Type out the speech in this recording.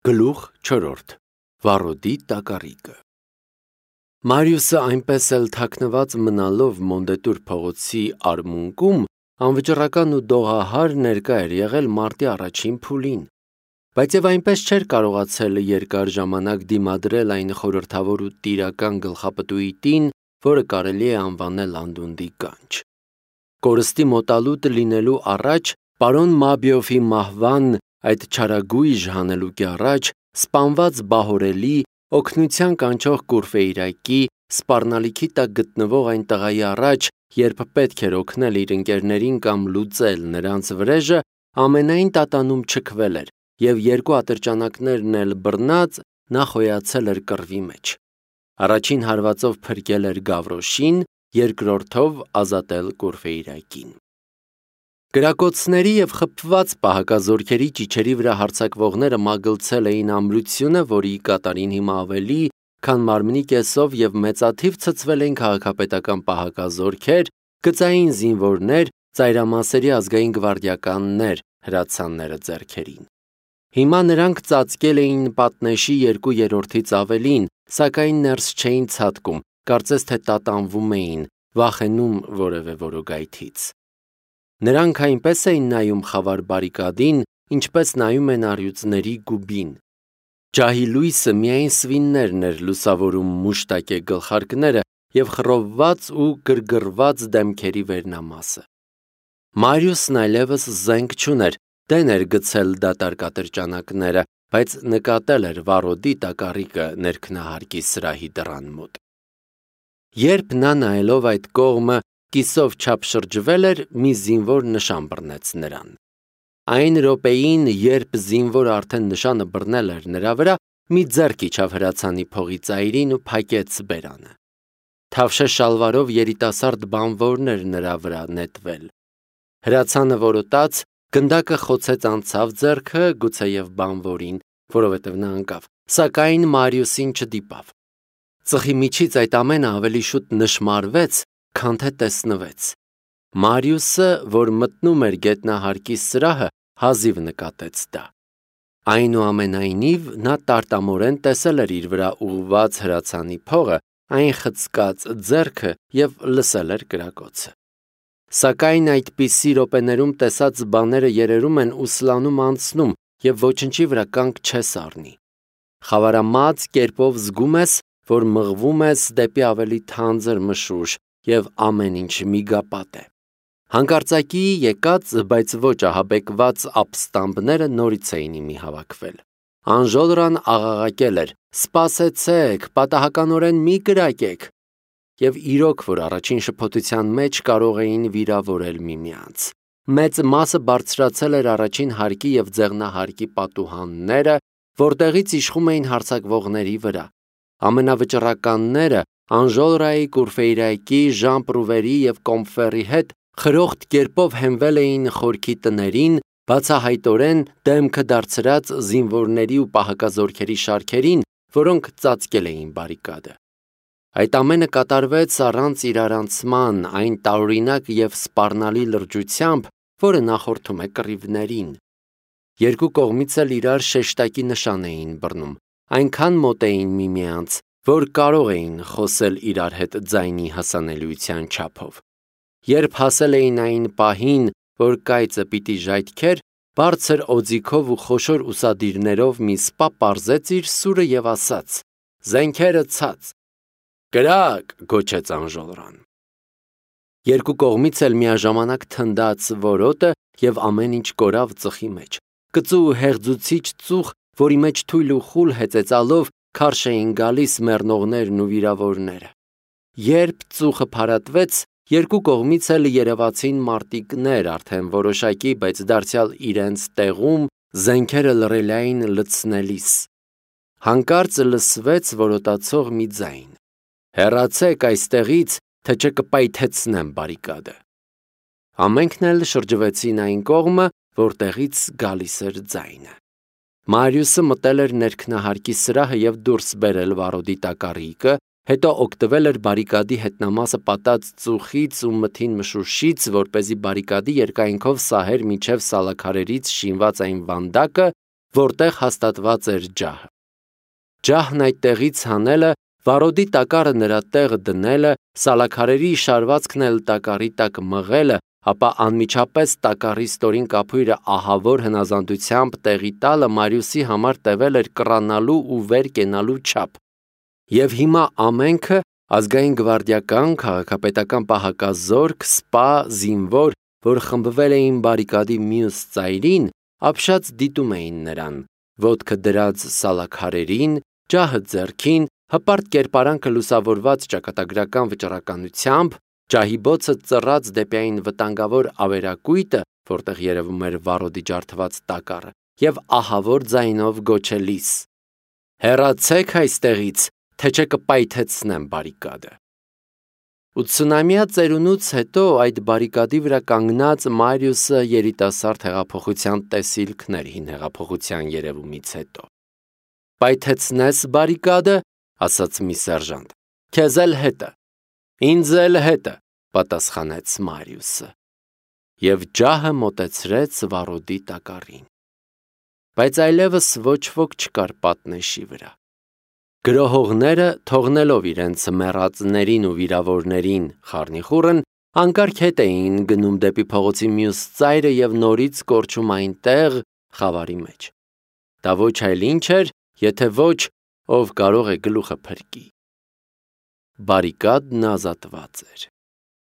Գլուխ 4. Վառոդի տակառիկը Մարիուսը այնպես էլ թաքնված մնալով Մոնդետուր փողոցի արմունկում անվճռական ու դողահար ներկա էր եղել մարտի առաջին փուլին, բայց եւ այնպես չէր կարողացել երկար ժամանակ դիմադրել այն խորհրդավոր ու տիրական գլխապտույտին, որը կարելի է անվանել անդունդի կանչ։ Կորստի մոտալուտ լինելու առաջ պարոն Մաբիոֆի մահվան այդ չարագույժ հանելուկի առաջ սպանված բահորելի օգնության կանչող Կուրֆեյրակի սպառնալիքի տակ գտնվող այն տղայի առաջ, երբ պետք էր օգնել իր ընկերներին կամ լուծել նրանց վրեժը, ամենայն տատանում չքվել էր եւ երկու ատրճանակներն էլ բռնած նա խոյացել էր կռվի մեջ։ Առաջին հարվածով փրկել էր Գավրոշին, երկրորդով ազատել Կուրֆեյրակին։ Կրակոցների եւ խփված պահակազորքերի ճիչերի վրա հարձակվողները մագլցել էին ամրությունը, որի կատարին հիմա ավելի, քան մարմնի կեսով եւ մեծաթիվ ցցվել էին քաղաքապետական պահակազորքեր, գծային զինվորներ, ծայրամասերի ազգային գվարդիականներ հրացանները ձեռքերին։ Հիմա նրանք ծածկել էին պատնեշի 2/3-ից ավելին, սակայն ներս չէին ցատկում, կարծես թե տատանվում էին, վախենում որևէ որոգայթից։ Նրանք այնպես էին նայում խավար բարիկադին, ինչպես նայում են առյուծների գուբին։ Ջահի լույսը միայն սվիններն էր լուսավորում մուշտակե գլխարկները եւ խռովված ու գրգռված դեմքերի վերնամասը։ Մարիուսն այլևս զենք չուներ, դեն էր գցել դատարկ ատրճանակները, բայց նկատել էր Վառոդի տակառիկը ներքնահարկի սրահի դռան մոտ։ Երբ նա նայելով այդ կողմը կիսով չափ շրջվել էր, մի զինվոր նշան բռնեց նրան։ Այն րոպեին, երբ զինվորը արդեն նշանը բռնել էր նրա վրա, մի ձեռք իջավ հրացանի փողի ծայրին ու փակեց բերանը։ Թավշե շալվարով երիտասարդ բանվորն էր նրա վրա նետվել։ Հրացանը որոտաց, գնդակը խոցեց անցավ ձեռքը, գուցեև բանվորին, որովհետև նա ընկավ, սակայն Մարիուսին չդիպավ։ Ծխի միջից այդ ամենը ավելի շուտ նշմարվեց, քան թե տեսնվեց։ Մարիուսը, որ մտնում էր գետնահարկի սրահը, հազիվ նկատեց դա։ Այնուամենայնիվ, նա տարտամորեն տեսել էր իր վրա ուղղված հրացանի փողը, այն խցկած ձեռքը եւ լսել էր կրակոցը։ Սակայն այդպիսի րոպեներում տեսած բաները երերում են ու սլանում անցնում եւ ոչնչի վրա կանգ չես առնի։ Խավարամած կերպով զգում ես, որ մղվում ես դեպի ավելի թանձր մշուշ եւ ամեն ինչ միգապատ է։ Հանկարծակի եկած, բայց ոչ ահաբեկված ապստամբները նորից էին իմի հավաքվել։ Անժոլրան աղաղակել էր. «Սպասեցեք, պատահականորեն մի կրակեք», եւ իրոք, որ առաջին շփոթության մեջ կարող էին վիրավորել միմյանց։ Մեծ մասը բարձրացել էր առաջին հարկի եւ ձեղնահարկի պատուհանները, որտեղից իշխում էին հարձակվողների վրա։ Ամենավճռականները Անժոլրայի, Կուրֆեյրակի, Ժան Պրուվերի եւ Կոմֆերի հետ խրոխտ կերպով հենվել էին խորքի տներին, բացահայտորեն դեմքը դարձրած զինվորների ու պահակազորքերի շարքերին, որոնք ծածկել էին բարիկադը։ Այդ ամենը կատարվեց առանց իրարանցման այն տարօրինակ եւ սպառնալի լրջությամբ, որը նախորդում է կռիվներին։ Երկու կողմից էլ իրար շեշտակի նշան էին բռնում, այնքան մոտ էին միմյանց, որ կարող էին խոսել իրար հետ ձայնի հասանելիության չափով։ Երբ հասել էին այն պահին, որ կայծը պիտի ժայթքեր, բարձր օձիքով ու խոշոր ուսադիրներով մի սպա պարզեց իր սուրը եւ ասաց. «Զենքերը ցած»։ «Կրակ», գոչեց Անժոլրան։ Երկու կողմից էլ միաժամանակ թնդաց որոտը եւ ամեն ինչ կորավ ծխի մեջ։ Կծու ու հեղձուցիչ ծուխ, որի մեջ թույլ ու խուլ հեծեծալով քարշ էին գալիս մեռնողներն ու վիրավորները։ Երբ ծուխը փարատվեց, երկու կողմից էլ երևացին մարտիկներ արդեն որոշակի, բայց դարձյալ իրենց տեղում զենքերը լռելային լցնելիս։ Հանկարծ լսվեց որոտացող մի ձայն. «Հեռացեք այստեղից, թե չկպայթեցնեմ բարիկադը»։ Ամենքն էլ շրջվեցին այն կողմը, որտեղից գալիս էր ձայնը։ Մարիուսը մտել էր ներքնահարկի սրահը եւ դուրս բերել Վառոդի տակառիկը, հետո օգտվել էր բարիկադի հետնամասը պատած ծուխից ու մթին մշուշից, որպեսզի բարիկադի երկայնքով սահեր միջև սալաքարերից շինված այն վանդակը, որտեղ հաստատված էր ջահը։ Ջահն այդ տեղից հանելը, վարոդի տակառը նրա տեղը դնելը, սալաքարերի շարվածքն էլ տակառի տակ մղելը, ապա անմիջապես տակառի ստորին կափույրը ահավոր հնազանդությամբ տեղի տալը Մարիուսի համար տևել էր կռանալու ու վեր կենալու չափ։ Եվ հիմա ամենքը ազգային գվարդիական, քաղաքապետական պահակազորք, սպա, զինվոր, որ խմբվել էին բարիկադի մյուս ծայրին, ապշած դիտում էին նրան, ոտքը դրած սալաքարերին, ջահը ձեռքին, հպարտ կերպարանքը լուսավորված ճակատագրական վճռականությամբ, ջահի բոցը ծռած դեպի այն վտանգավոր ավերակույտը, որտեղ երևում էր վարոդի ջարդված տակառը, եւ ահավոր ձայնով գոչելիս. «Հեռացեք այստեղից, թե չէ կպայթեցնեմ բարիկադը»։ 80-ամյա ծերունուց հետո այդ բարիկադի վրա կանգնած Մարիուսը երիտասարդ հեղափոխության տեսիլքներ հին հեղափոխության երևումից հետո։ «Պայթեցնես բարիկադը», ասաց մի սերժանտ, «քեզ էլ հետը»։ «Ինձ էլ հետը», պատասխանեց Մարիուսը։ Եվ ջահը մոտեցրեց վարոդի տակառին։ Բայց այլևս ոչ ոք չկար պատնեշի վրա։ Գրոհողները, թողնելով իրենց մեռածներին ու վիրավորներին խառնիխուռն, անկարգ հետ էին գնում դեպի փողոցի մյուս ծայրը եւ նորից կորչում այնտեղ խավարի մեջ։ Դա ոչ այլ ինչ էր, եթե ոչ ով կարող է գլուխը փրկի։ Բարիկադն ազատված էր։